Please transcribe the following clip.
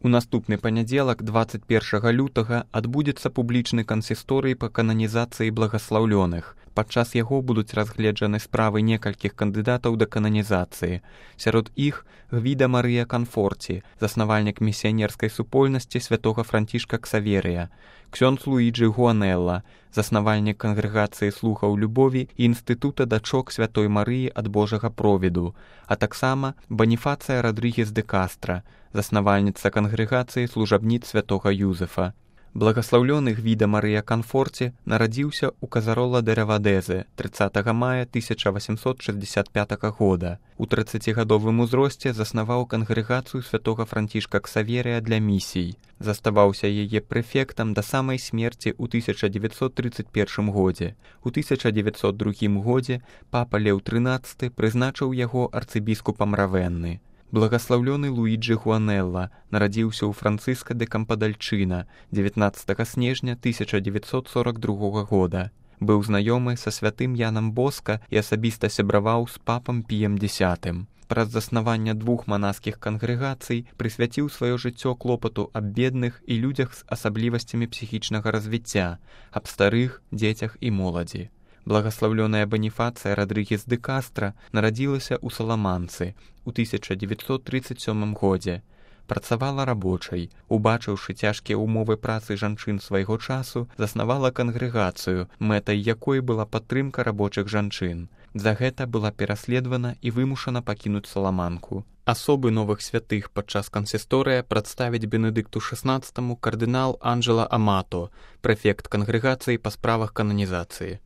У наступны панядзелак, 21 лютага, адбудзецца публічны кансісторый па кананізацыі благаслаўлёных. Падчас яго будуць разгледжаны справы некалькіх кандыдатаў да кананізацыі. Сярод іх Гвіда Марыя Канфорці, заснавальнік місіянерскай супольнасці святога Францішка Ксаверыя, ксёндз Луіджы Гуанелла, заснавальнік кангрэгацыі слухаў любові і інстытута дачок святой Марыі ад Божага провіду, а таксама Баніфацыя Радрыгес де Кастра, заснавальніца кангрэгацыі служабніц святога Юзефа. Благаслаўлёны Гвіда Марыя Канфорці нарадзіўся ў Казарола де Равадэзе 30 мая 1865 года. У 30-гадовым узросце заснаваў кангрэгацыю святога Францішка Ксаверыя для місій. Заставаўся яе прэфектам да самай смерці ў 1931 годзе. У 1902 годзе папа Леў XIII прызначыў яго арцыбіскупам Равенны. Благаслаўлёны Луіджы Гуанелла нарадзіўся ў Францыска де Кампадальчына 19 снежня 1942 года. Быў знаёмы са святым Янам Боска і асабіста сябраваў з папам Піем X. Праз заснавання двух манаскіх кангрэгацый прысвяціў сваё жыццё клопату аб бедных і людзях з асаблівасцямі псіхічнага развіцця, аб старых, дзецях і моладзі. Благаслаўлёная Баніфацыя Радрыгес де Кастра нарадзілася ў Саламанцы ў 1937 годзе. Працавала рабочай, убачыўшы цяжкія ўмовы працы жанчын свайго часу, заснавала кангрэгацыю, мэтай якой была падтрымка рабочых жанчын. За гэта была пераследавана і вымушана пакінуць Саламанку. Асобы новых святых падчас кансісторыя прадставіць Бенедыкту XVI кардынал Анджела Амато, прэфект кангрэгацыі па справах кананізацыі.